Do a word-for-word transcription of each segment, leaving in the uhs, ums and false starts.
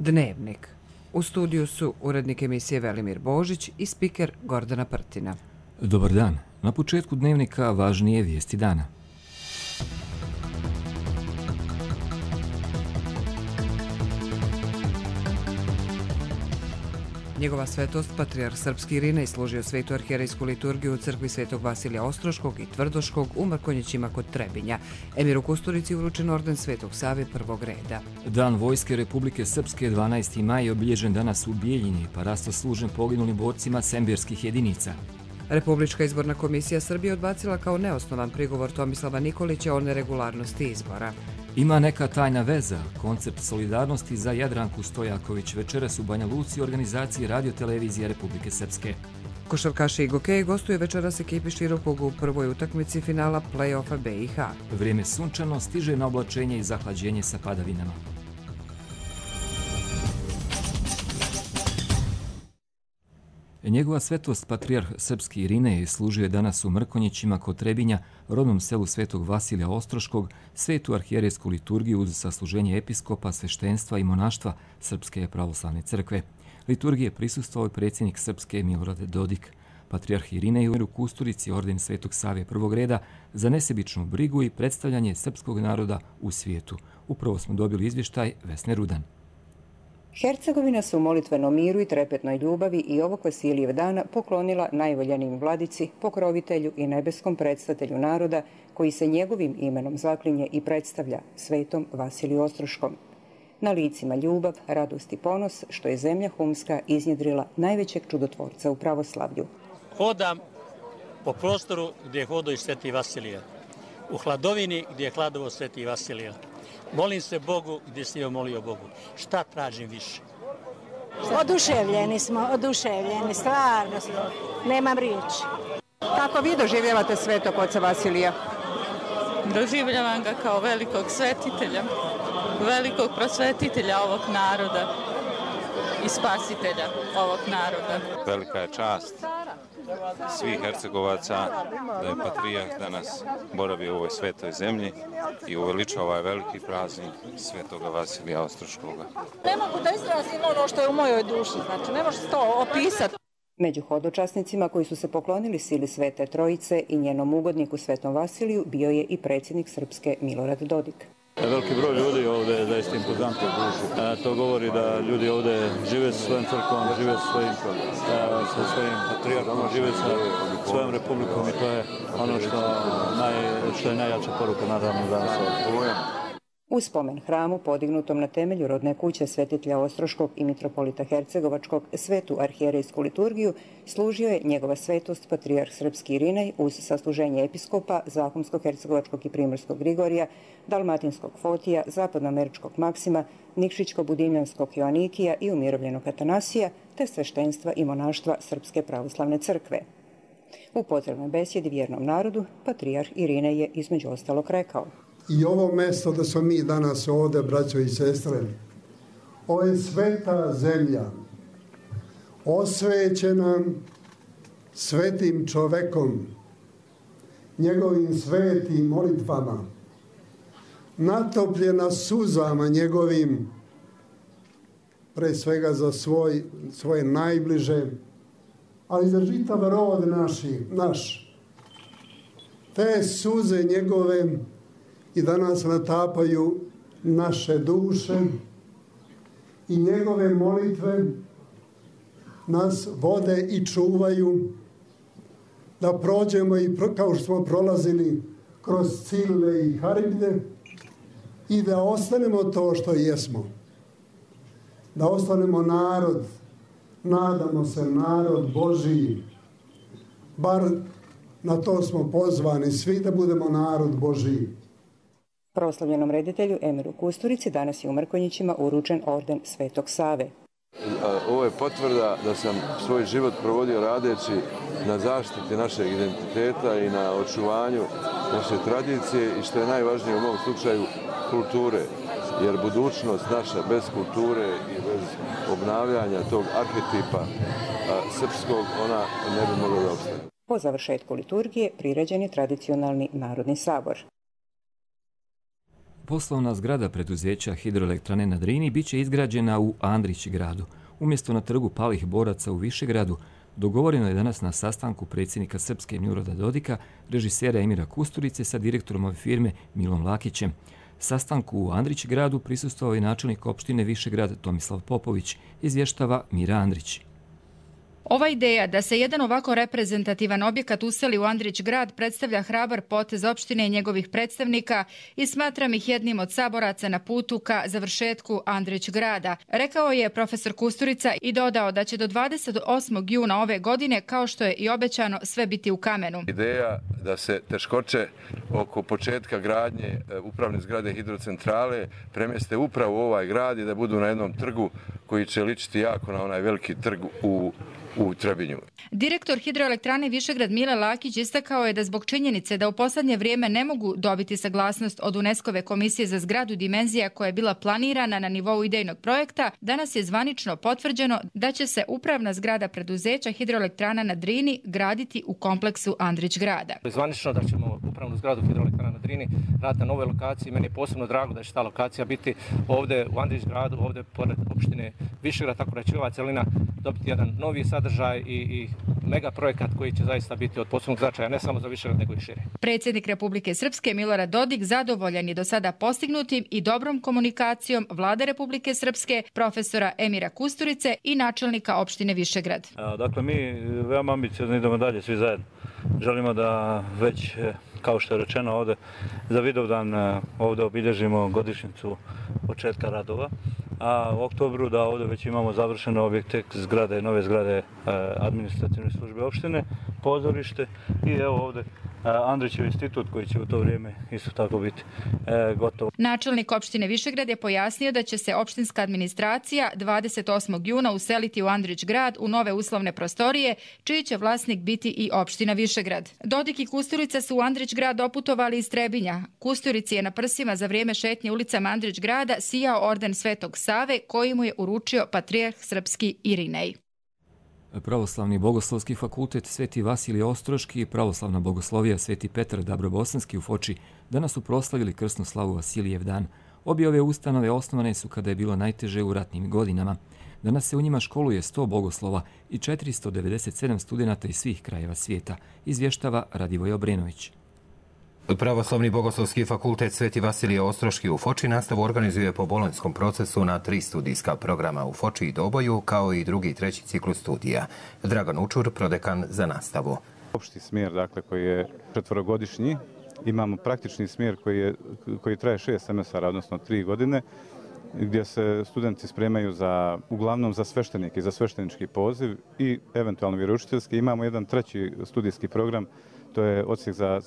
Dnevnik. U studiju su urednik emisije Velimir Božić i spiker Gordana Prtina. Dobar dan. Na početku Dnevnika važnije vijesti dana. Njegova svetost, patrijarh srpski Irinej, služio svetu arhijerejsku liturgiju u crkvi Svetog Vasilija Ostroškog i Tvrdoškog u Mrkonjićima kod Trebinja. Emiru Kusturici uručen orden Svetog Save prvog reda. Dan Vojske Republike Srpske dvanaesti maj je obilježen danas u Bijeljini, pa rasto služen poginulim borcima sembirskih jedinica. Republička izborna komisija Srbije odbacila kao neosnovan prigovor Tomislava Nikolića o neregularnosti izbora. Ima neka tajna veza. Koncept solidarnosti za Jadranku Stojaković večeras u Banja Luci u organizaciji Radio-televizije Republike Srpske. Košarkaši i gokeji gostuje večeras ekipi Širokog u prvoj utakmici finala play-offa B i H. Vrijeme sunčano, stiže na oblačenje i zahlađenje sa padavinama. Njegova svetost, patrijarh srpski Irinej, služio je danas u Mrkonjićima kod Trebinja, rodnom selu Svetog Vasilija Ostroškog, svetu arhijerejsku liturgiju uz sasluženje episkopa, sveštenstva i monaštva Srpske pravoslavne crkve. Liturgije prisustvovao je predsjednik Srpske Milorad Dodik. Patrijarh Irinej u Kusturici orden Svetog Save prvog reda za nesebičnu brigu i predstavljanje srpskog naroda u svijetu. Upravo smo dobili izvještaj Vesne Rudan. Hercegovina se u molitvenom miru i trepetnoj ljubavi i ovog Vasilijeva dana poklonila najvoljenijim vladici, pokrovitelju i nebeskom predstavitelju naroda koji se njegovim imenom zaklinje i predstavlja, svetom Vasiliju Ostroškom. Na licima ljubav, radost i ponos što je zemlja Humska iznjedrila najvećeg čudotvorca u pravoslavlju. Hodam po prostoru gdje je hodao i Sveti Vasilije, u hladovini gdje je hladovo Sveti Vasilije. Molim se Bogu gdje si joj molio Bogu. Šta tražim više? Oduševljeni smo, oduševljeni, stvarno smo. Nemam riječi. Kako vi doživljavate svetog oca Vasilija? Doživljavam ga kao velikog svetitelja, velikog prosvetitelja ovog naroda i spasitelja ovog naroda. Velika je čast svih Hercegovaca da je patrijarh danas boravio u ovoj svetoj zemlji i uveličao ovaj veliki praznik Svetoga Vasilija Ostroškoga. Ne mogu da izrazim ono što je u mojoj duši, znači ne može se to opisati. Među hodočasnicima koji su se poklonili sili Svete Trojice i njenom ugodniku Svetom Vasiliju bio je i predsjednik Srpske Milorad Dodik. Veliki broj ljudi ovdje je zaista impozantno. To govori da ljudi ovdje žive sa svojim crkvom, žive sa svojim, sa svojim patrijarhom, žive sa svojom republikom i to je ono što, naj, što je najjača poruka naravno danas ovdje. U spomen hramu, podignutom na temelju rodne kuće svetitelja Ostroškog i mitropolita Hercegovačkog, svetu arhijerejsku liturgiju služio je njegova svetost patrijarh srpski Irinej uz sasluženje episkopa, Zahumsko-hercegovačkog i primorskog Grigorija, dalmatinskog Fotija, zapadnoameričkog Maksima, nikšićko-budimljanskog Joanikija i umirovljenog Atanasija, te sveštenstva i monaštva Srpske pravoslavne crkve. U pozdravnoj besjedi vjernom narodu, patrijarh Irinej je između ostalog rekao: I ovo mjesto da smo mi danas ovdje, braćo i sestre, ovo je sveta zemlja, osvećena svetim čovekom, njegovim svetim molitvama, natopljena suzama njegovim, pre svega za svoj, svoje najbliže, ali za čitav rod naši, naš. Te suze njegove i danas natapaju naše duše i njegove molitve nas vode i čuvaju da prođemo i pro, kao što smo prolazili kroz Cilve i Haribde i da ostanemo to što jesmo. Da ostanemo narod, nadamo se narod Božiji, bar na to smo pozvani svi da budemo narod Božiji. Proslavljenom reditelju Emiru Kusturici danas je u Mrkonjićima uručen orden Svetog Save. Ovo je potvrda da sam svoj život provodio radeći na zaštiti našeg identiteta i na očuvanju naše tradicije i što je najvažnije u mom slučaju kulture. Jer budućnost naša bez kulture i bez obnavljanja tog arhetipa srpskog, ona ne bi mogla da opstane. Po završetku liturgije priređen je tradicionalni narodni sabor. Poslovna zgrada preduzeća Hidroelektrane na Drini biće izgrađena u Andrić gradu. Umjesto na trgu palih boraca u Višegradu, dogovoreno je danas na sastanku predsjednika Srpske Milorada Dodika, režisera Emira Kusturice sa direktorom ove firme Milom Lakićem. Sastanku u Andrić gradu prisustvovao je načelnik opštine Višegrad Tomislav Popović, izvještava Mira Andrić. Ova ideja da se jedan ovako reprezentativan objekat useli u Andrić grad predstavlja hrabar potez opštine i njegovih predstavnika i smatram ih jednim od saboraca na putu ka završetku Andrić grada, rekao je profesor Kusturica i dodao da će do dvadeset osmog juna ove godine, kao što je i obećano, sve biti u kamenu. Ideja da se teškoće oko početka gradnje upravne zgrade hidrocentrale premjeste upravo u ovaj grad i da budu na jednom trgu koji će ličiti jako na onaj veliki trg u u Trebinju. Direktor Hidroelektrane Višegrad Mile Lakić istakao je da zbog činjenice da u posljednje vrijeme ne mogu dobiti saglasnost od UNESCO-ve komisije za zgradu dimenzija koja je bila planirana na nivou idejnog projekta, danas je zvanično potvrđeno da će se upravna zgrada preduzeća Hidroelektrana na Drini graditi u kompleksu Andrić grada. Zvanično da ćemo upravnu zgradu Hidroelektrana na Drini raditi na nove lokaciji. Meni je posebno drago da će ta lokacija biti ovdje u Andrić gradu, ovdje pored opštine Višegrad, tako da će ova celina dobiti jedan novi sadržaj i, i mega projekat koji će zaista biti od posebnog značaja ne samo za Višegrad nego i šire. Predsjednik Republike Srpske Milorad Dodik zadovoljan je do sada postignutim i dobrom komunikacijom Vlade Republike Srpske, profesora Emira Kusturice i načelnika opštine Višegrad. A, dakle, mi veoma ambiciozno idemo dalje svi zajedno. Želimo da već, kao što je rečeno ovdje, za Vidovdan ovdje obilježimo godišnjicu početka radova, a u oktobru da ovdje već imamo završeno objekte zgrade, nove zgrade administrativne službe opštine, pozorište i evo ovdje Andrićev institut koji će u to vrijeme isto tako biti e, gotovo. Načelnik opštine Višegrad je pojasnio da će se opštinska administracija dvadeset osmog juna useliti u Andrić grad u nove uslovne prostorije, čiji će vlasnik biti i opština Višegrad. Dodik i Kusturica su u Andrić grad doputovali iz Trebinja. Kusturici je na prsima za vrijeme šetnje ulicama Andrić grada sijao orden Svetog Save koji mu je uručio patrijarh srpski Irinej. Pravoslavni bogoslovski fakultet Sveti Vasilije Ostroški i pravoslavna bogoslovija Sveti Petar Dabrobosanski u Foči danas su proslavili krsnu slavu Vasilijev dan. Obje ove ustanove osnovane su kada je bilo najteže u ratnim godinama. Danas se u njima školuje sto bogoslova i četiristo devedeset sedam studenata iz svih krajeva svijeta, izvještava Radivoj Obrenović. Pravoslavni bogoslovski fakultet Sveti Vasilije Ostroški u Foči nastavu organizuje po bolonjskom procesu na tri studijska programa u Foči i Doboju, kao i drugi i treći ciklus studija. Dragan Učur, prodekan za nastavu. Opšti smjer, dakle, koji je četvorogodišnji, imamo praktični smjer koji, je, koji traje šest semestara, odnosno tri godine, gdje se studenti spremaju za, uglavnom za sveštenike i za sveštenički poziv i eventualno vjeroučiteljski. Imamo jedan treći studijski program, to je odsjek za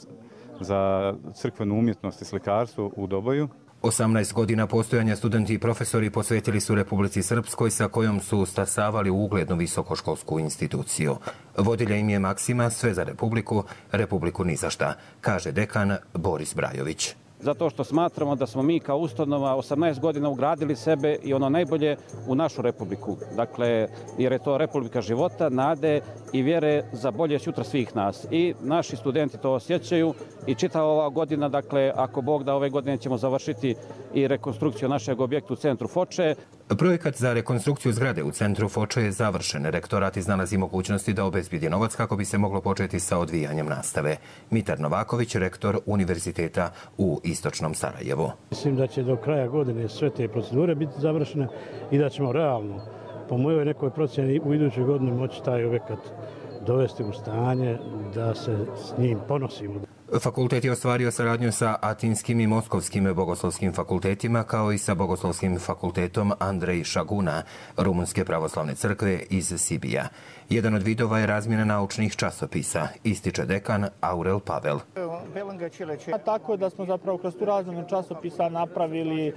za crkvenu umjetnost i slikarstvo u Doboju. osamnaest godina postojanja studenti i profesori posvetili su Republici Srpskoj sa kojom su stasavali u uglednu visokoškolsku instituciju. Vodilja im je maksima sve za Republiku, Republiku ni za šta, kaže dekan Boris Brajović. Zato što smatramo da smo mi kao ustanova osamnaest godina ugradili sebe i ono najbolje u našu republiku. Dakle, jer je to republika života, nade i vjere za bolje sutra svih nas. I naši studenti to osjećaju i čitava ova godina, dakle, ako Bog da ove godine ćemo završiti i rekonstrukciju našeg objekta u centru Foče. Projekat za rekonstrukciju zgrade u centru Foče je završen. Rektorat iznalazi mogućnosti da obezbijedi novac kako bi se moglo početi sa odvijanjem nastave. Mitar Novaković, rektor Univerziteta u Istočnom Sarajevu. Mislim da će do kraja godine sve te procedure biti završene i da ćemo realno, po mojoj nekoj procjeni, u idućoj godini moći taj objekat dovesti u stanje da se s njim ponosimo. Fakultet je ostvario saradnju sa Atinskim i Moskovskim bogoslovskim fakultetima, kao i sa Bogoslovskim fakultetom Andrej Šaguna, Rumunske pravoslavne crkve iz Sibija. Jedan od vidova je razmjena naučnih časopisa, ističe dekan Aurel Pavel. Tako da smo zapravo kroz tu razmjenu časopisa napravili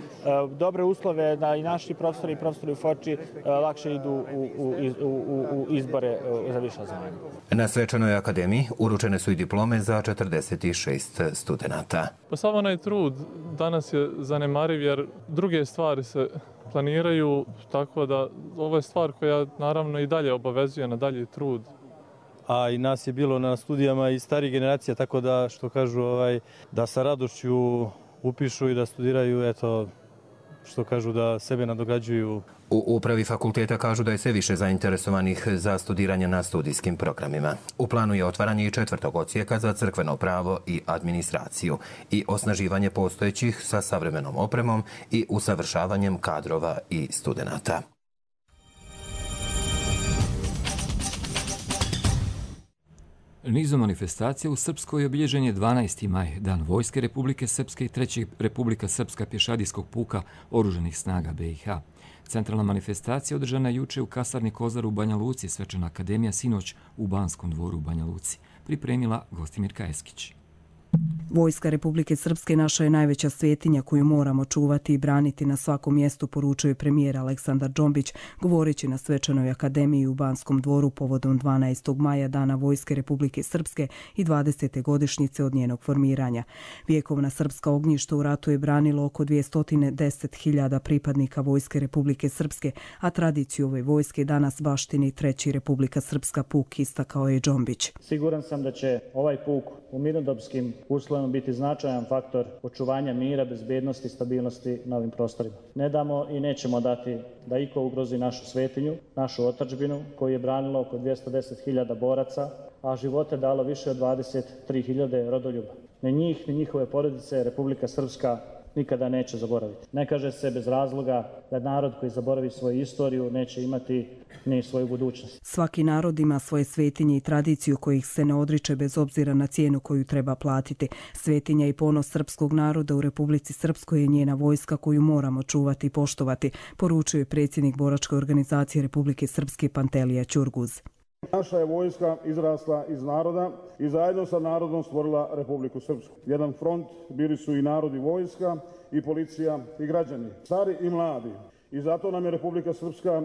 dobre uslove da i naši profesori i profesori u Foči lakše idu u, u, u, u izbore za viša zvanja. Na svečanoj akademiji uručene su i diplome za četrdeset šest studenata. Pa sav onaj trud danas je zanemariv jer druge stvari se planiraju, tako da ovo je stvar koja naravno i dalje obavezuje na dalji trud. A i nas je bilo na studijama i starih generacija, tako da što kažu ovaj, da sa radošću upišu i da studiraju, eto, što kažu da sebe nadograđuju. U upravi fakulteta kažu da je sve više zainteresovanih za studiranje na studijskim programima. U planu je otvaranje i četvrtog odsjeka za crkveno pravo i administraciju i osnaživanje postojećih sa savremenom opremom i usavršavanjem kadrova i studenata. Nizom manifestacija u Srpskoj obilježen je dvanaesti maj, Dan Vojske Republike Srpske i treći Republika Srpska pješadijskog puka Oružanih snaga be i ha. Centralna manifestacija održana je juče u kasarni Kozar u Banja Luci, Svečana akademija sinoć u Banskom dvoru u Banja Luci. Pripremila Gostimirka Eskić. Vojska Republike Srpske naša je najveća svetinja koju moramo čuvati i braniti na svakom mjestu, poručuje premijer Aleksandar Džombić, govoreći na Svečanoj akademiji u Banskom dvoru povodom dvanaestog maja, Dana Vojske Republike Srpske i dvadesete godišnjice od njenog formiranja. Vjekovna srpska ognjišta u ratu je branilo oko dvjesto deset hiljada pripadnika Vojske Republike Srpske, a tradiciju ove vojske danas baštini treći Republika Srpska puk, istakao je Džombić. Siguran sam da će ovaj puk u mirnodopskim uslovima biti značajan faktor očuvanja mira, bezbednosti i stabilnosti na ovim prostorima. Ne damo i nećemo dati da iko ugrozi našu svetinju, našu otadžbinu, koju je branilo oko dvjesto deset hiljada boraca, a živote dalo više od dvadeset tri hiljade rodoljuba. Ne njih, ni njihove porodice Republika Srpska nikada neće zaboraviti. Ne kaže se bez razloga da narod koji zaboravi svoju istoriju neće imati ni svoju budućnost. Svaki narod ima svoje svetinje i tradiciju kojih se ne odriče bez obzira na cijenu koju treba platiti. Svetinja i ponos srpskog naroda u Republici Srpskoj je njena vojska koju moramo čuvati i poštovati, poručuje predsjednik boračke organizacije Republike Srpske Pantelija Ćurguz. Naša je vojska izrasla iz naroda i zajedno sa narodom stvorila Republiku Srpsku. Jedan front bili su i narod i vojska, i policija i građani, stari i mladi. I zato nam je Republika Srpska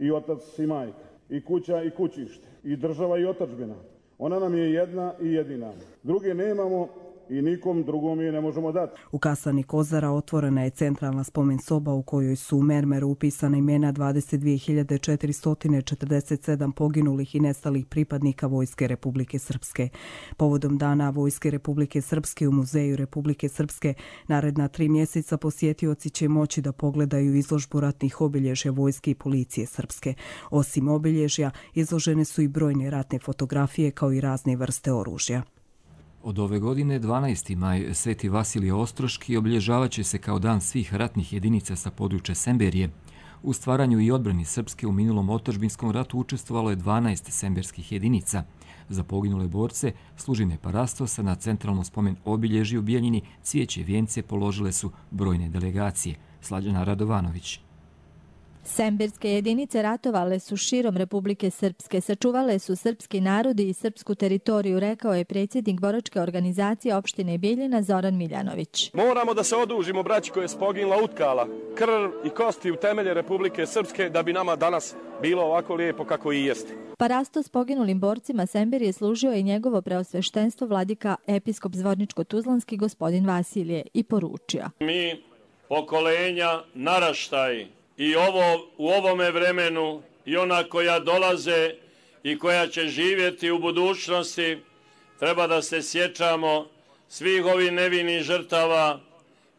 i otac i majka, i kuća i kućište, i država i otadžbina. Ona nam je jedna i jedina. Druge nemamo i nikom drugom je ne možemo dati. U kasarni Kozara otvorena je centralna spomen soba u kojoj su u mermeru upisana imena dvadeset dvije hiljade četiristo četrdeset sedam poginulih i nestalih pripadnika Vojske Republike Srpske. Povodom Dana Vojske Republike Srpske u Muzeju Republike Srpske naredna tri mjeseca posjetioci će moći da pogledaju izložbu ratnih obilježja vojske i policije Srpske. Osim obilježja, izložene su i brojne ratne fotografije kao i razne vrste oružja. Od ove godine, dvanaesti maj, Sveti Vasilije Ostroški obilježavat će se kao dan svih ratnih jedinica sa područja Semberije. U stvaranju i odbrani Srpske u minulom otadžbinskom ratu učestvovalo je dvanaest semberskih jedinica. Za poginule borce služine parastosa na centralnom spomen obilježju u Bijeljini cvijeće vijence položile su brojne delegacije. Slađana Radovanović. Semberske jedinice ratovale su širom Republike Srpske, sačuvale su srpski narodi i srpsku teritoriju, rekao je predsjednik boračke organizacije opštine Bijeljina Zoran Miljanović. Moramo da se odužimo braći koje je poginula utkala krv i kosti u temelje Republike Srpske da bi nama danas bilo ovako lijepo kako i jeste. Parastos poginulim borcima Semberije služio je njegovo preosveštenstvo vladika episkop Zvorničko-Tuzlanski gospodin Vasilije i poručio. Mi, pokolenja, naraštaj, i ovo u ovome vremenu i ona koja dolaze i koja će živjeti u budućnosti, treba da se sjećamo svih ovih nevinih žrtava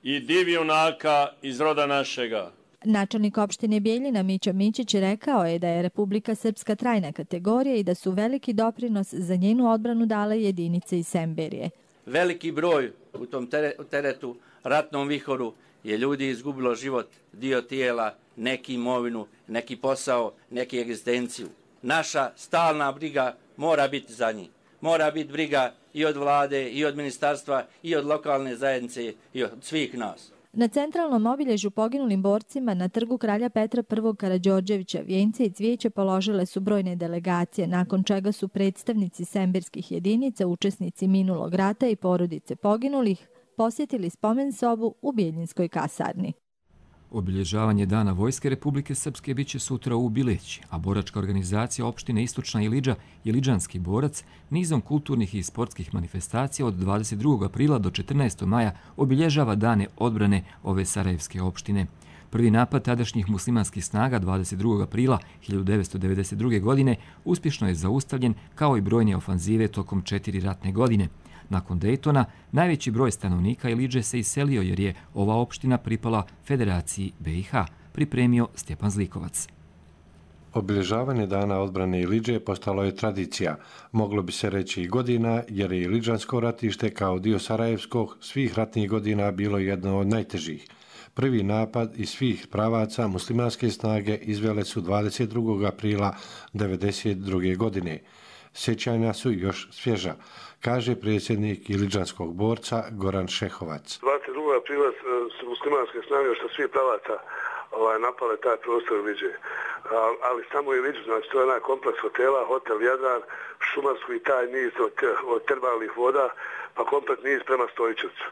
i divjunaka iz roda našega. Načelnik opštine Bijeljina Mićo Mićić rekao je da je Republika Srpska trajna kategorija i da su veliki doprinos za njenu odbranu dale jedinice iz Semberije. Veliki broj u tom teretu, ratnom vihoru, je ljudi izgubilo život, dio tijela, neki imovinu, neki posao, neki egzistenciju. Naša stalna briga mora biti za njih. Mora biti briga i od vlade, i od ministarstva, i od lokalne zajednice, i od svih nas. Na centralnom obilježju poginulim borcima na trgu kralja Petra prvog Karađorđevića vijence i cvijeće položile su brojne delegacije, nakon čega su predstavnici semberskih jedinica, učesnici minulog rata i porodice poginulih, posjetili spomen sobu u Bijeljinskoj kasarni. Obilježavanje Dana Vojske Republike Srpske bit će sutra u Bileći, a boračka organizacija opštine Istočna Ilidža Iliđanski borac nizom kulturnih i sportskih manifestacija od dvadeset drugog aprila do četrnaestog maja obilježava dane odbrane ove sarajevske opštine. Prvi napad tadašnjih muslimanskih snaga dvadeset drugog aprila hiljadu devetsto devedeset druge godine uspješno je zaustavljen kao i brojne ofanzive tokom četiri ratne godine. Nakon Daytona, najveći broj stanovnika Iliđe se iselio jer je ova opština pripala Federaciji B i H, pripremio Stjepan Zlikovac. Obilježavanje dana odbrane Iliđe postalo je tradicija, moglo bi se reći i godina, jer je Iliđansko ratište kao dio Sarajevskog svih ratnih godina bilo jedno od najtežih. Prvi napad iz svih pravaca muslimanske snage izvele su dvadeset drugog aprila devedeset druge godine. Sjećanja su još svježa, kaže predsjednik Iliđanskog borca Goran Šehovac. dvadeset drugog aprila su muslimanske snage što svih pravaca ovaj, napale taj prostor Iliđe. Ali samo Iliđu, znači to je onaj kompleks hotela, hotel Jadran, šumarsku i taj niz od, od termalnih voda, pa komplet niz prema Stojićevcu.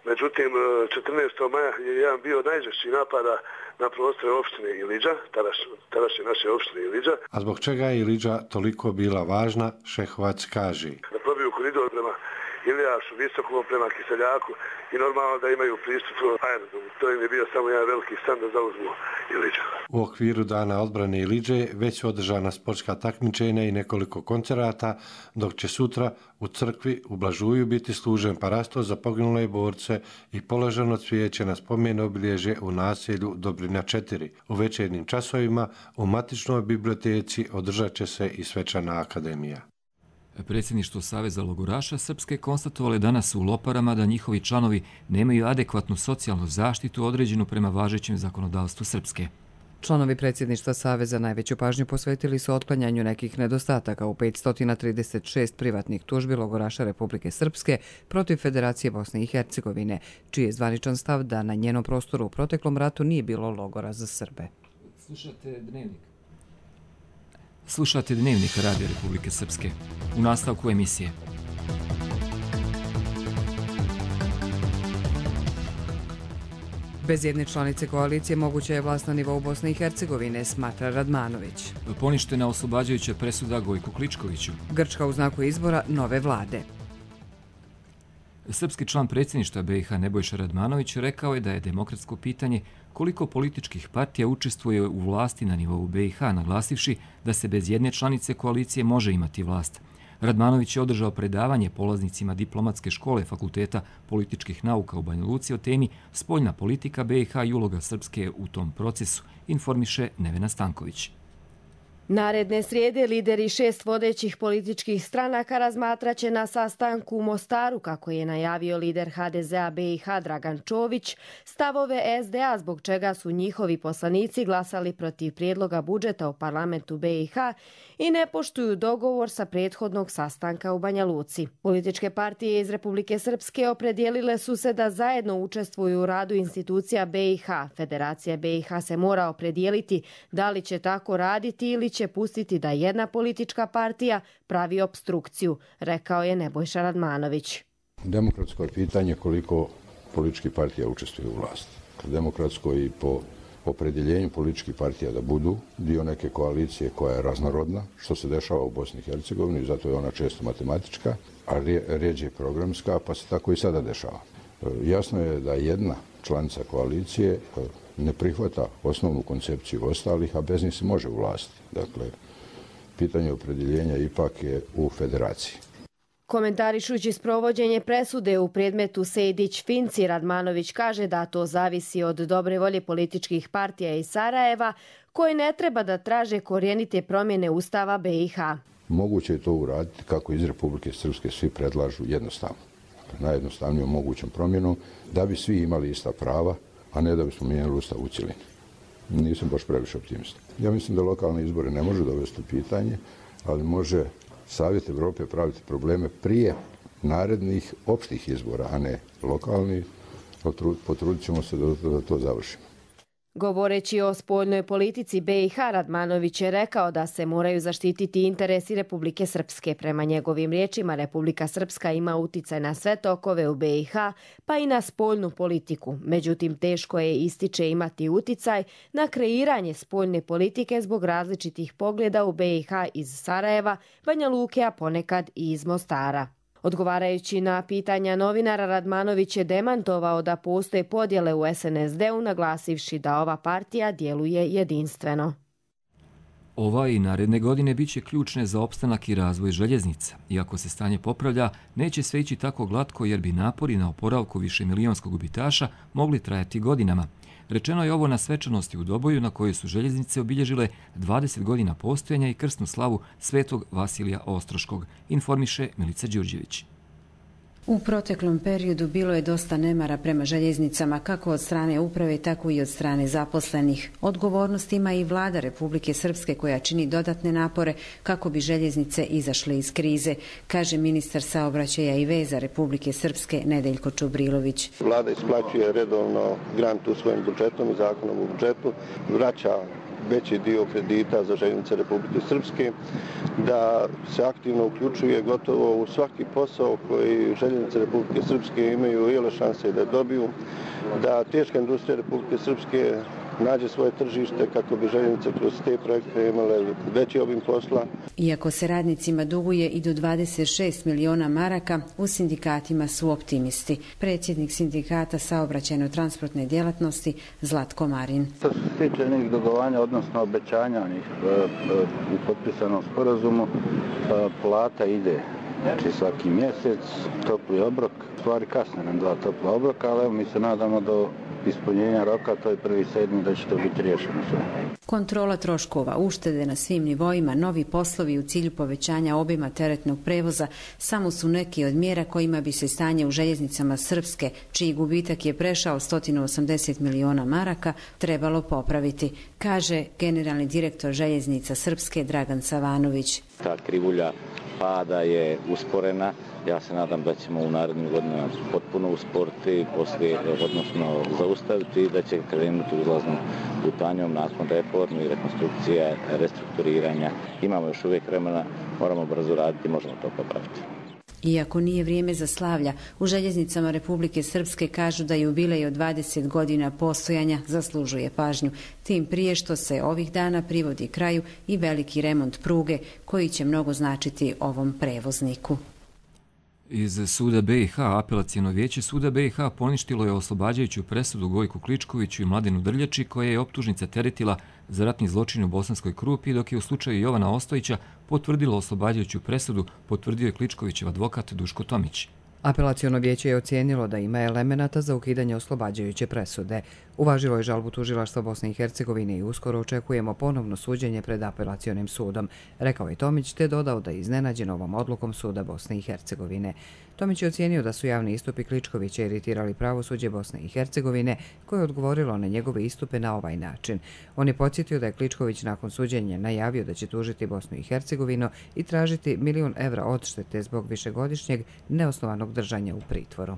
Međutim, četrnaestog maja je jedan bio najžešći napada na prostore opštine Iliđa, tadašnje naše opštine Iliđa. A zbog čega je Iliđa toliko bila važna, Šehovac kaže. Da probiju koridor prema Ilijašu, Visokom, prema Kiseljaku i normalno da imaju pristup aerodromu. To im je bio samo jedan veliki san da zauzmu Iliđu. U okviru Dana odbrane Iliđe već su održana sportska takmičenja i nekoliko koncerata, dok će sutra u crkvi u Blažuju biti služen parasto za poginule borce i položeno cvijeće na spomen obilježje u naselju Dobrina četiri. U večernjim časovima u matičnoj biblioteci održat će se i svečana akademija. Predsjedništvo Saveza logoraša Srpske konstatovali danas u Loparama da njihovi članovi nemaju adekvatnu socijalnu zaštitu određenu prema važećem zakonodavstvu Srpske. Članovi predsjedništva Saveza najveću pažnju posvetili su otklanjanju nekih nedostataka u petsto trideset šest privatnih tužbi logoraša Republike Srpske protiv Federacije Bosne i Hercegovine, čiji je zvaničan stav da na njenom prostoru u proteklom ratu nije bilo logora za Srbe. Slušate dnevnik. Slušate dnevnik Radio Republike Srpske. U nastavku emisije. Bez jedne članice koalicije moguća je vlast na nivou Bosne i Hercegovine, smatra Radmanović. Poništena oslobađajuća presuda Gojku Kličkoviću. Grčka u znaku izbora nove vlade. Srpski član predsjedništva B i H Nebojša Radmanović rekao je da je demokratsko pitanje koliko političkih partija učestvuje u vlasti na nivou B i H, naglasivši da se bez jedne članice koalicije može imati vlast. Radmanović je održao predavanje polaznicima diplomatske škole Fakulteta političkih nauka u Banja Luci o temi spoljna politika B i H i uloga Srpske u tom procesu, informiše Nevena Stanković. Naredne srijede lideri šest vodećih političkih stranaka razmatraće na sastanku u Mostaru, kako je najavio lider H D Z a B i H Dragan Čović, stavove S D A zbog čega su njihovi poslanici glasali protiv prijedloga budžeta u parlamentu B i H i ne poštuju dogovor sa prethodnog sastanka u Banja Luci. Političke partije iz Republike Srpske opredijelile su se da zajedno učestvuju u radu institucija B i H. Federacija B i H se mora opredijeliti da li će tako raditi ili će pustiti da jedna politička partija pravi obstrukciju, rekao je Nebojša Radmanović. Demokratsko je pitanje koliko političkih partija učestvuju u vlasti. Demokratsko i po opredjeljenju političkih partija da budu dio neke koalicije koja je raznorodna, što se dešava u Bosni i Hercegovini, zato je ona često matematička, a rijeđe programska, pa se tako i sada dešava. Jasno je da jedna članica koalicije ne prihvata osnovnu koncepciju ostalih, a bez njih se može uvlastiti. Dakle, pitanje opredjeljenja ipak je u federaciji. Komentarišući sprovođenje presude u predmetu Sejdić-Finci, Radmanović kaže da to zavisi od dobre volje političkih partija iz Sarajeva, koji ne treba da traže korijenite promjene Ustava B i H. Moguće je to uraditi kako iz Republike Srpske svi predlažu jednostavno. Najjednostavnijom mogućom promjenom da bi svi imali ista prava, a ne da bismo mijenjali Ustav u cjelini. Nisam baš previše optimista. Ja mislim da lokalne izbore ne može dovesti u pitanje, ali može Savjet Evrope praviti probleme prije narednih opštih izbora, a ne lokalnih. Potrudit ćemo se da, da to završimo. Govoreći o spoljnoj politici B i H, Radmanović je rekao da se moraju zaštititi interesi Republike Srpske. Prema njegovim riječima, Republika Srpska ima uticaj na sve tokove u B i H, pa i na spoljnu politiku. Međutim, teško je, ističe, imati uticaj na kreiranje spoljne politike zbog različitih pogleda u B i H iz Sarajeva, Banja Luke, a ponekad i iz Mostara. Odgovarajući na pitanja novinara, Radmanović je demantovao da postoje podjele u S N S D-u, naglasivši da ova partija djeluje jedinstveno. Ova i naredne godine bit će ključne za opstanak i razvoj željeznica. Iako se stanje popravlja, neće sve ići tako glatko jer bi napori na oporavku višemilijonskog gubitaša mogli trajati godinama. Rečeno je ovo na svečanosti u Doboju na kojoj su željeznice obilježile dvadeset godina postojanja i krsnu slavu Svetog Vasilija Ostroškog, informiše Milica Đurđević. U proteklom periodu bilo je dosta nemara prema željeznicama, kako od strane uprave, tako i od strane zaposlenih. Odgovornost ima i vlada Republike Srpske koja čini dodatne napore kako bi željeznice izašle iz krize, kaže ministar saobraćaja i veza Republike Srpske Nedeljko Čubrilović. Vlada isplaćuje redovno grant u svojim budžetom i zakonom u budžetu, vraća veći dio kredita za željeznice Republike Srpske, da se aktivno uključuje gotovo u svaki posao koji željeznice Republike Srpske imaju iole šanse da dobiju, da teška industrija Republike Srpske nađe svoje tržište kako bi željeznice kroz te projekte imale veći obim posla. Iako se radnicima duguje i do dvadeset šest miliona maraka, u sindikatima su optimisti. Predsjednik sindikata saobraćajno-transportne djelatnosti Zlatko Marin. Što se tiče nekih dugovanja, odnosno obećanja u potpisanom sporazumu, plata ide znači svaki mjesec, topli obrok, stvari kasne nam dva topla obroka, ali evo mi se nadamo do ispunjenja roka, to je prvi sedmi da će to biti riješeno sve. Kontrola troškova, uštede na svim nivoima, novi poslovi u cilju povećanja obima teretnog prevoza samo su neki od mjera kojima bi se stanje u željeznicama Srpske, čiji gubitak je prešao sto osamdeset miliona maraka, trebalo popraviti, kaže generalni direktor željeznica Srpske Dragan Savanović. Ta krivulja pada je usporena. Ja se nadam da ćemo u narednim godinama potpuno usporiti, poslije, odnosno zaustaviti i da će krenuti uzlaznom putanjom nakon reformi, rekonstrukcije, restrukturiranja. Imamo još uvijek vremena, moramo brzo raditi, možemo to popraviti. Iako nije vrijeme za slavlja, u željeznicama Republike Srpske kažu da jubilej od dvadeset godina postojanja zaslužuje pažnju. Tim prije što se ovih dana privodi kraju i veliki remont pruge koji će mnogo značiti ovom prevozniku. Iz suda B i H apelacijono vijeće suda B i H poništilo je oslobađajuću presudu Gojku Kličkoviću i Mladenu Drljači, koja je optužnica teretila za ratni zločin u Bosanskoj Krupi, dok je u slučaju Jovana Ostojića potvrdilo oslobađajuću presudu, potvrdio je Kličkovićev advokat Duško Tomić. Apelacijono vijeće je ocijenilo da ima elemenata za ukidanje oslobađajuće presude. Uvažilo je žalbu tužilaštva Bosne i Hercegovine i uskoro očekujemo ponovno suđenje pred apelacionim sudom, rekao je Tomić, te dodao da je iznenađen ovom odlukom suda Bosne i Hercegovine. Tomić je ocijenio da su javni istupi Kličkovića iritirali pravosuđe Bosne i Hercegovine, koje je odgovorilo na njegove istupe na ovaj način. On je podsjetio da je Kličković nakon suđenja najavio da će tužiti Bosnu i Hercegovinu i tražiti milion evra odštete zbog višegodišnjeg neosnovanog držanja u pritvoru.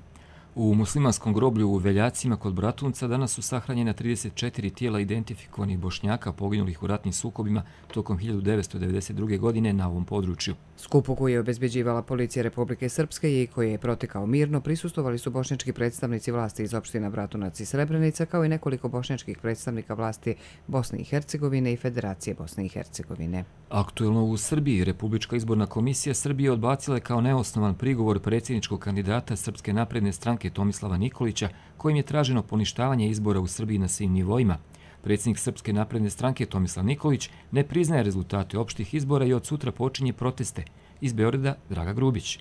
U muslimanskom groblju u Veljacima kod Bratunca danas su sahranjena trideset četiri tijela identifikovanih Bošnjaka poginulih u ratnim sukobima tokom hiljadu devetsto devedeset druge. godine na ovom području. Skupu koji je obezbeđivala policija Republike Srpske i koji je protekao mirno, prisustvovali su bošnjački predstavnici vlasti iz opština Bratunac i Srebrenica, kao i nekoliko bošnjačkih predstavnika vlasti Bosne i Hercegovine i Federacije Bosne i Hercegovine. Aktuelno u Srbiji, Republička izborna komisija Srbije odbacila je kao neosnovan prigovor predsjedničkog kandidata Srpske napredne stranke Tomislava Nikolića, kojim je traženo poništavanje izbora u Srbiji na svim nivoima. Predsjednik Srpske napredne stranke Tomislav Nikolić ne priznaje rezultate opštih izbora i od sutra počinje proteste. Iz Beograda Draga Grubić.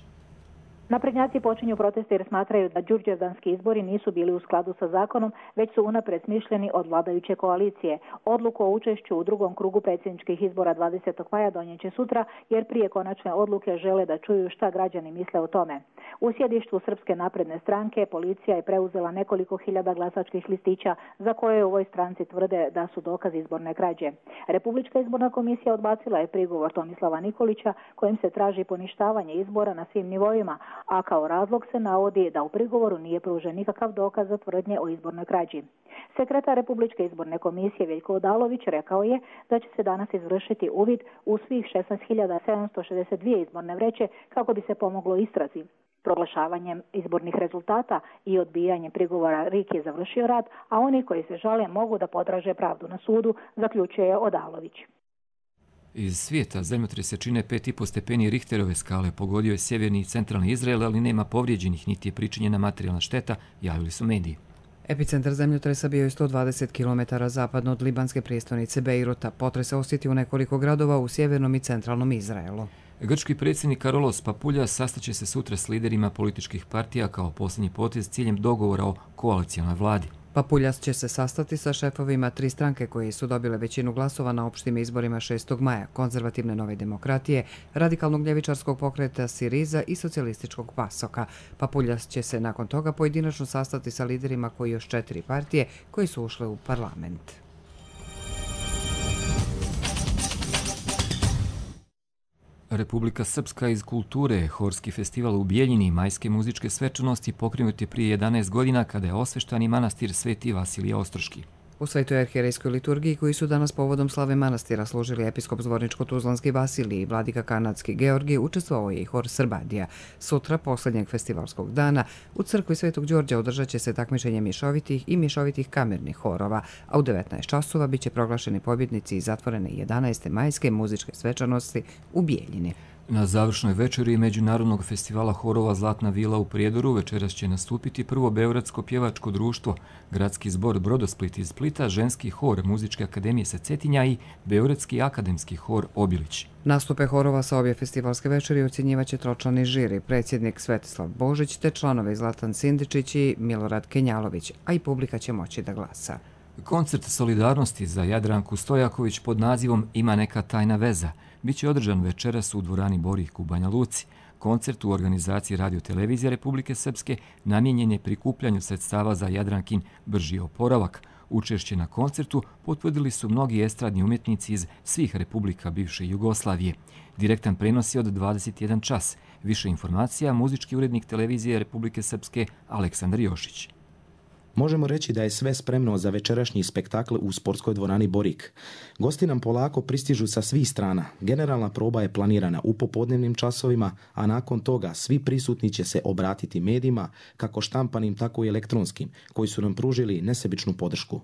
Naprednjaci počinju proteste jer smatraju da đurđevdanski izbori nisu bili u skladu sa zakonom, već su unapred smišljeni od vladajuće koalicije. Odluku o učešću u drugom krugu predsjedničkih izbora dvadesetog maja donijeće sutra, jer prije konačne odluke žele da čuju šta građani misle o tome. U sjedištu Srpske napredne stranke policija je preuzela nekoliko hiljada glasačkih listića za koje u ovoj stranci tvrde da su dokaz izborne krađe. Republička izborna komisija odbacila je prigovor Tomislava Nikolića, kojim se traži poništavanje izbora na svim nivoima, a kao razlog se navodi da u prigovoru nije pružen nikakav dokaz za tvrdnje o izbornoj krađi. Sekretar Republičke izborne komisije Veljko Odalović rekao je da će se danas izvršiti uvid u svih šesnaest hiljada sedamsto šezdeset dvije izborne vreće kako bi se pomoglo istrazi. Proglašavanjem izbornih rezultata i odbijanjem prigovora R I K je završio rad, a oni koji se žale mogu da potraže pravdu na sudu, zaključuje Odalović. Iz svijeta zemljotrese čine pet i po stepeni Richterove skale, pogodio je sjeverni i centralni Izrael, ali nema povrijeđenih niti je pričinjena materijalna šteta, javili su mediji. Epicentar zemljotresa bio je sto dvadeset kilometara zapadno od libanske prijestolnice Bejruta. Potres se osjetio u nekoliko gradova u sjevernom i centralnom Izraelu. Grčki predsjednik Karolos Papuljas sastaće se sutra s liderima političkih partija kao posljednji potez s ciljem dogovora o koalicijalnoj vladi. Papuljas će se sastati sa šefovima tri stranke koje su dobile većinu glasova na opštim izborima šestog maja, konzervativne Nove demokratije, radikalnog ljevičarskog pokreta Siriza i socijalističkog Pasoka. Papuljas će se nakon toga pojedinačno sastati sa liderima koji još četiri partije koji su ušle u parlament. Republika Srpska iz kulture, horski festival u Bijeljini i majske muzičke svečanosti pokrenut je prije jedanaest godina kada je osveštani manastir Sveti Vasilije Ostroški. U Svetoj arhijerejskoj liturgiji koji su danas povodom slave manastira služili episkop Zvorničko-Tuzlanski Vasilij i vladika kanadski Georgij, učestvovao je i hor Srbadija. Sutra, posljednjeg festivalskog dana, u crkvi Svetog Đorđa održat će se takmičenje mješovitih i mješovitih kamernih horova, a u devetnaest časova biće proglašeni pobjednici i zatvorene jedanaeste majske muzičke svečanosti u Bijeljini. Na završnoj večeri Međunarodnog festivala horova Zlatna vila u Prijedoru večeras će nastupiti prvo beogradsko pjevačko društvo, gradski zbor Brodosplit iz Splita, ženski hor Muzičke akademije sa Cetinja i beogradski akademski hor Obilić. Nastupe horova sa obje festivalske večeri ocjenjivaće tročlani žiri, predsjednik Svetislav Božić te članovi Zlatan Sindičić i Milorad Kenjalović, a i publika će moći da glasa. Koncert solidarnosti za Jadranku Stojaković pod nazivom Ima neka tajna veza biće održan večeras u dvorani Borih u Banja Luci. Koncert u organizaciji Radio-televizije Republike Srpske namijenjen je prikupljanju sredstava za Jadrankin brži oporavak. Učešće na koncertu potvrdili su mnogi estradni umjetnici iz svih republika bivše Jugoslavije. Direktan prenos je od dvadeset jedan čas. Više informacija muzički urednik televizije Republike Srpske Aleksandar Jošić. Možemo reći da je sve spremno za večerašnji spektakl u sportskoj dvorani Borik. Gosti nam polako pristižu sa svih strana. Generalna proba je planirana u popodnevnim časovima, a nakon toga svi prisutni će se obratiti medijima, kako štampanim, tako i elektronskim, koji su nam pružili nesebičnu podršku.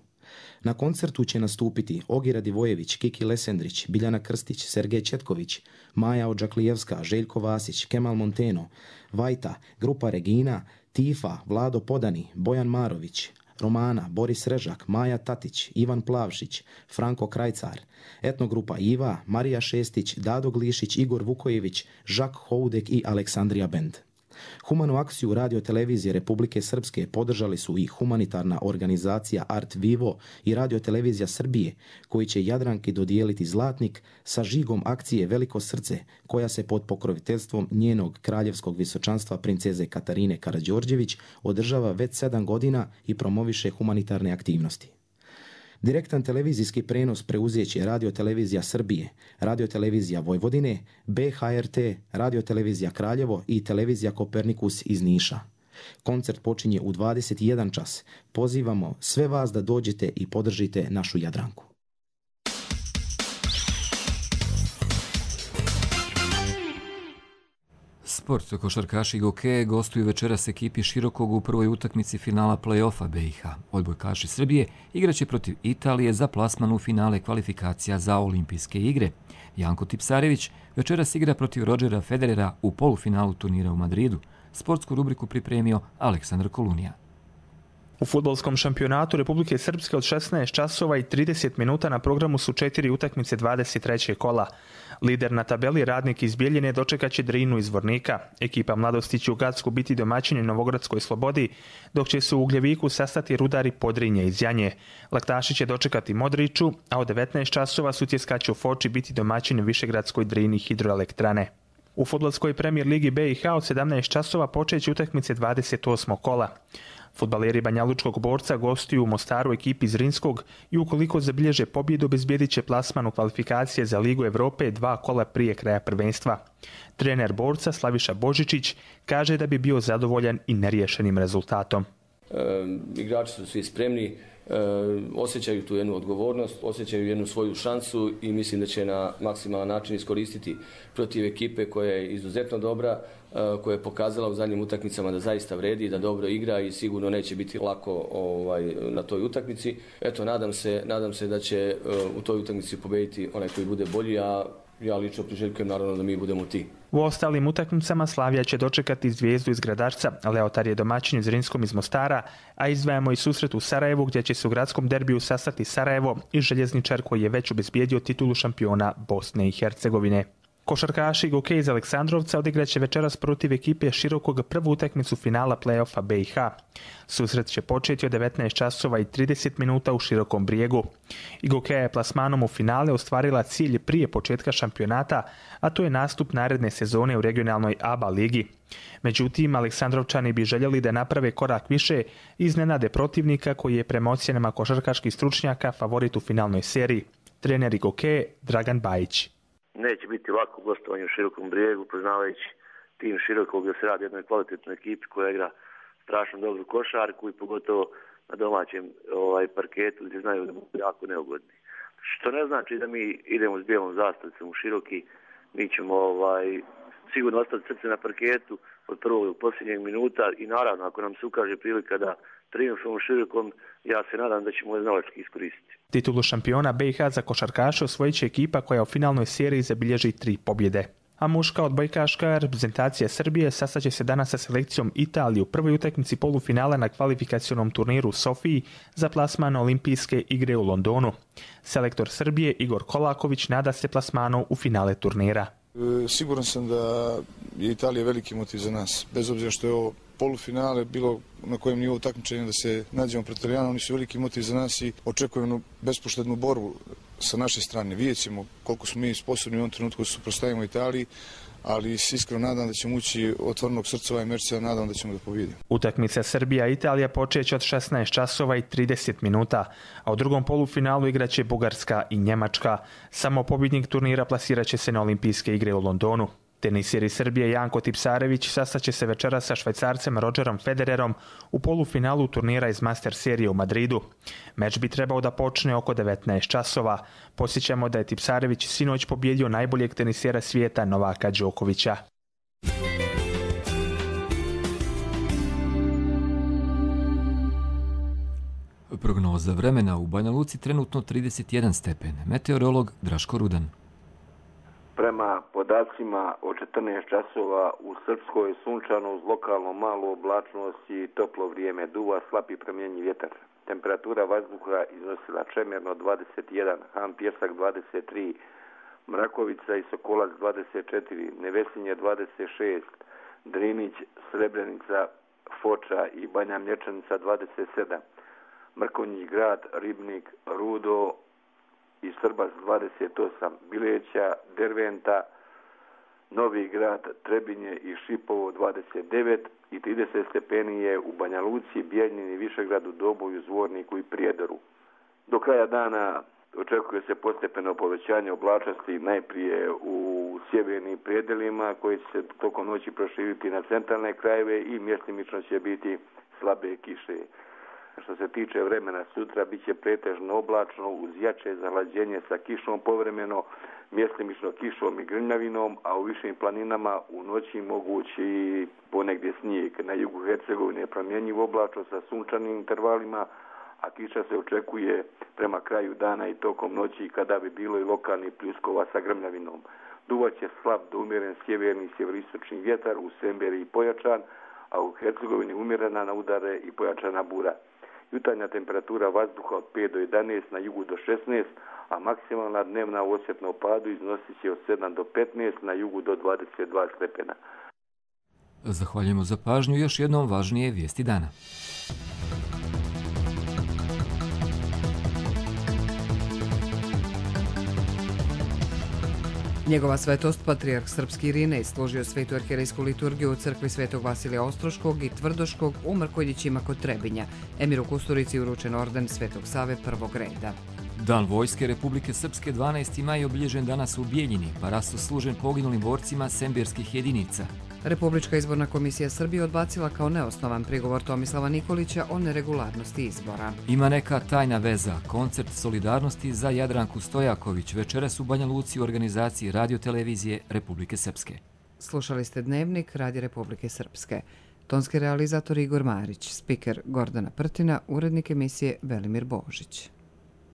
Na koncertu će nastupiti Ogira Divojević, Kiki Lesendrić, Biljana Krstić, Sergej Četković, Maja Odžaklijevska, Željko Vasić, Kemal Monteno, Vajta, grupa Regina, Tifa, Vlado Podani, Bojan Marović, Romana, Boris Režak, Maja Tatić, Ivan Plavšić, Franko Krajcar, etnogrupa Iva, Marija Šestić, Dado Glišić, Igor Vukojević, Žak Houdek i Aleksandrija Bend. Humanu akciju Radio-televizije Republike Srpske podržali su i humanitarna organizacija Art Vivo i Radio-televizija Srbije, koji će Jadranki dodijeliti zlatnik sa žigom akcije Veliko srce, koja se pod pokroviteljstvom njenog kraljevskog visočanstva princeze Katarine Karađorđević održava već sedam godina i promoviše humanitarne aktivnosti. Direktan televizijski prenos preuzeće Radio-televizija Srbije, Radio-televizija Vojvodine, B H R T, Radio-televizija Kraljevo i Televizija Kopernikus iz Niša. Koncert počinje u dvadeset jedan čas. Pozivamo sve vas da dođete i podržite našu Jadranku. Sport, košarkaši i gokeje gostuju večeras ekipi Širokog u prvoj utakmici finala play-offa B i H. Odbojkaši Srbije igraće protiv Italije za plasman u finale kvalifikacija za olimpijske igre. Janko Tipsarević večeras igra protiv Rodgera Federera u polufinalu turnira u Madridu. Sportsku rubriku pripremio Aleksandar Kolunija. U fudbalskom šampionatu Republike Srpske od šesnaest časova i trideset minuta na programu su četiri utakmice dvadeset trećeg kola. Lider na tabeli Radnik iz Bijeljine dočekaće Drinu iz Vornika. Ekipa Mladosti će u Gacku biti domaćini Novogradskoj Slobodi, dok će se u Ugljeviku sastati Rudari Podrinje iz Janje. Laktaši će dočekati Modriću, a od devetnaest časova Sutjeska će u Foči biti domaćini Višegradskoj Drini hidroelektrane. U fudbalskoj premijer ligi B i H od sedamnaest časova počeće utakmice dvadeset osmog kola. Fudbaleri Banjalučkog Borca gostuju u Mostaru ekipi iz Rinskog i ukoliko zabilježe pobjedu obezbijedit će plasman u kvalifikacije za Ligu Evrope dva kola prije kraja prvenstva. Trener Borca Slaviša Božičić kaže da bi bio zadovoljan i neriješenim rezultatom. E, igrači su svi spremni, e, osjećaju tu jednu odgovornost, osjećaju jednu svoju šansu i mislim da će na maksimalan način iskoristiti protiv ekipe koja je izuzetno dobra, koja je pokazala u zadnjim utakmicama da zaista vredi, da dobro igra i sigurno neće biti lako ovaj, na toj utakmici. Eto, nadam se, nadam se da će uh, u toj utakmici pobediti onaj koji bude bolji, a ja lično priželjkujem naravno da mi budemo ti. U ostalim utakmicama Slavija će dočekati Zvijezdu iz Gradačca, Leotar je domaćin Zrinskom iz Mostara, a izdvajamo i susret u Sarajevu gdje će se u gradskom derbiju sastati Sarajevo i Željezničar koji je već obezbijedio titulu šampiona Bosne i Hercegovine. Košarkaši Gokej iz Aleksandrovca odigraće večeras protiv ekipe Širokog prvu utakmicu finala play-offa B i H. Susret će početi od devetnaest časova i trideset minuta u Širokom Brijegu. I Gokeja je plasmanom u finale ostvarila cilj prije početka šampionata, a to je nastup naredne sezone u regionalnoj A B A ligi. Međutim, Aleksandrovčani bi željeli da naprave korak više i iznenade protivnika koji je prema ocjenama košarkaških stručnjaka favorit u finalnoj seriji. Trener Gokeje Dragan Bajić. Neće biti lako gostovanje u Širokom Brijegu, poznavajući tim Širokog gdje se radi o jednoj kvalitetnoj ekipi koja igra strašno dobru košarku i pogotovo na domaćem ovaj, parketu gdje znaju da budu jako neugodni. Što ne znači da mi idemo s bijelom zastavicom u Široki, mi ćemo ovaj, sigurno ostati srce na parketu od prvog do posljednjeg minuta i naravno ako nam se ukaže prilika da triumfom u Širokom, ja se nadam da ćemo je znalački iskoristiti. Titulu šampiona B i H za košarkaše osvojit će ekipa koja u finalnoj seriji zabilježi tri pobjede. A muška odbojkaška reprezentacija Srbije sastaće se danas sa selekcijom Italije u prvoj utakmici polufinala na kvalifikacionom turniru u Sofiji za plasman Olimpijske igre u Londonu. Selektor Srbije Igor Kolaković nada se plasmanu u finale turnira. Siguran sam da je Italija veliki motiv za nas, bez obzira što je ovo polufinale, bilo na kojem nivou takmičenja da se nađemo pred Italijanom, oni su veliki motiv za nas i očekujemo bespoštednu borbu sa naše strane. Vidjet ćemo koliko smo mi sposobni u ovom trenutku da se suprotstavimo Italiji, ali se iskreno nadam da ćemo ući otvorenog srca ovaj meč, se nadam da ćemo da pobjedimo. Utakmica Srbija-Italija počeće od šesnaest časova i trideset minuta, a u drugom polufinalu igraće Bugarska i Njemačka. Samo pobjednik turnira plasirat će se na Olimpijske igre u Londonu. Tenisir iz Srbije Janko Tipsarević sastaće se večeras sa Švajcarcem Rodgerom Federerom u polufinalu turnira iz Master serije u Madridu. Meč bi trebao da počne oko devetnaest časova. Posjećamo da je Tipsarević sinoć pobjedio najboljeg tenisera svijeta Novaka Đokovića. Prognoza vremena u Banja Luci trenutno trideset jedan stepen. Meteorolog Draško Rudan. Prema podacima od četrnaest časova u Srpskoj je sunčano uz lokalno malu oblačnost i toplo vrijeme, duva slab i promjenjiv vjetar. Temperatura vazduha iznosila Čemerno dvadeset jedan, Han Pjesak dvadeset tri, Mrakovica i Sokolac dvadeset četiri, Nevesinje dvadeset šest, Drinić, Srebrenica, Foča i Banja Mlječanica dvadeset sedam, Mrkonjić Grad, Ribnik, Rudo i Srbac dvadeset osam, Bileća, Derventa, Novi Grad, Trebinje i Šipovo dvadeset devet i trideset stepeni je u Banja Luci, Bijeljini, Višegradu, Doboju, Zvorniku i Prijedoru. Do kraja dana očekuje se postepeno povećanje oblačnosti najprije u sjevernim predelima koji će se tokom noći proširiti na centralne krajeve i mjestimično će biti slabe kiše. Što se tiče vremena sutra, bit će pretežno oblačno uz jače zahlađenje sa kišom povremeno, mjestimično kišom i grmljavinom, a u višim planinama u noći mogući ponegdje snijeg. Na jugu Hercegovine je promjenjiv oblačno sa sunčanim intervalima, a kiša se očekuje prema kraju dana i tokom noći kada bi bilo i lokalni pljuskova sa grmljavinom. Duvaće slab do umjeren sjeverni i sjeveristočni vjetar u Semberi i pojačan, a u Hercegovini umjerena na udare i pojačana bura. Jutarnja temperatura vazduha od pet do jedanaest, na jugu do šesnaest, a maksimalna dnevna u osjetnom padu iznosit će od sedam do petnaest, na jugu do dvadeset dva stepena. Zahvaljujemo za pažnju. Još jednom važnije vijesti dana. Njegova svetost, patrijarh srpski Irinej, složio svetu arhijerejsku liturgiju u crkvi Svetog Vasilija Ostroškog i Tvrdoškog u Mrkonjićima kod Trebinja. Emiru Kusturici uručen orden Svetog Save prvog reda. Dan vojske Republike Srpske dvanaesti maj obilježen danas u Bijeljini, pa rasto služen poginulim borcima sembirskih jedinica. Republička izborna komisija Srbije odbacila kao neosnovan prigovor Tomislava Nikolića o neregularnosti izbora. Ima neka tajna veza. Koncert solidarnosti za Jadranku Stojaković večeras u Banja Luci u organizaciji Radio-televizije Republike Srpske. Slušali ste Dnevnik Radi Republike Srpske. Tonski realizator Igor Marić, spiker Gordana Prtina, urednik emisije Velimir Božić.